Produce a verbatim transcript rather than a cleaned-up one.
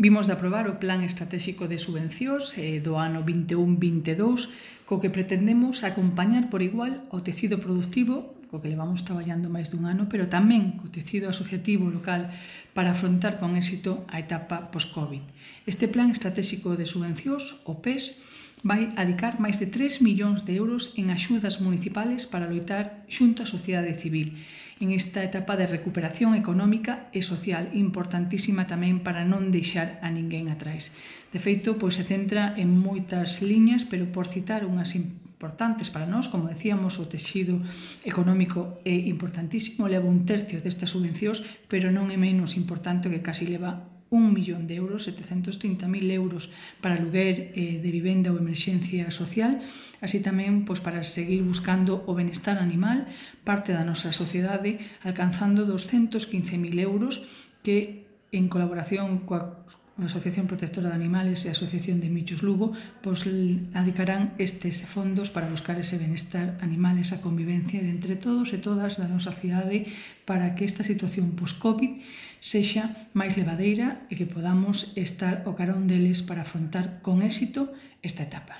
Vimos de aprobar o Plan Estratégico de Subvencións do ano vinte e un vinte e dous, co que pretendemos acompañar por igual ao tecido productivo, co que levamos traballando máis dun ano, pero tamén co tecido asociativo local para afrontar con éxito a etapa post-COVID. Este Plan Estratégico de Subvencións, o P E S, vai adicar máis de tres millóns de euros en axudas municipales para loitar xunto á sociedade civil en esta etapa de recuperación económica e social importantísima tamén para non deixar a ninguén atrás. De feito, pois se centra en moitas liñas, pero por citar unhas importantes para nós, como decíamos, o texido económico é importantísimo, leva un tercio destas subvencións, pero non é menos importante que casi leva un millón de euros, setecentos trinta mil euros para aluguer eh, de vivenda ou emerxencia social, así tamén pois, para seguir buscando o benestar animal, parte da nosa sociedade, alcanzando doscientos quince mil euros que, en colaboración coa a Asociación Protectora de Animales e a Asociación de Michos Lugo, pois adicarán estes fondos para buscar ese benestar animal, esa convivencia entre todos e todas da nosa cidade para que esta situación post-COVID sexa máis levadeira e que podamos estar ao carón deles para afrontar con éxito esta etapa.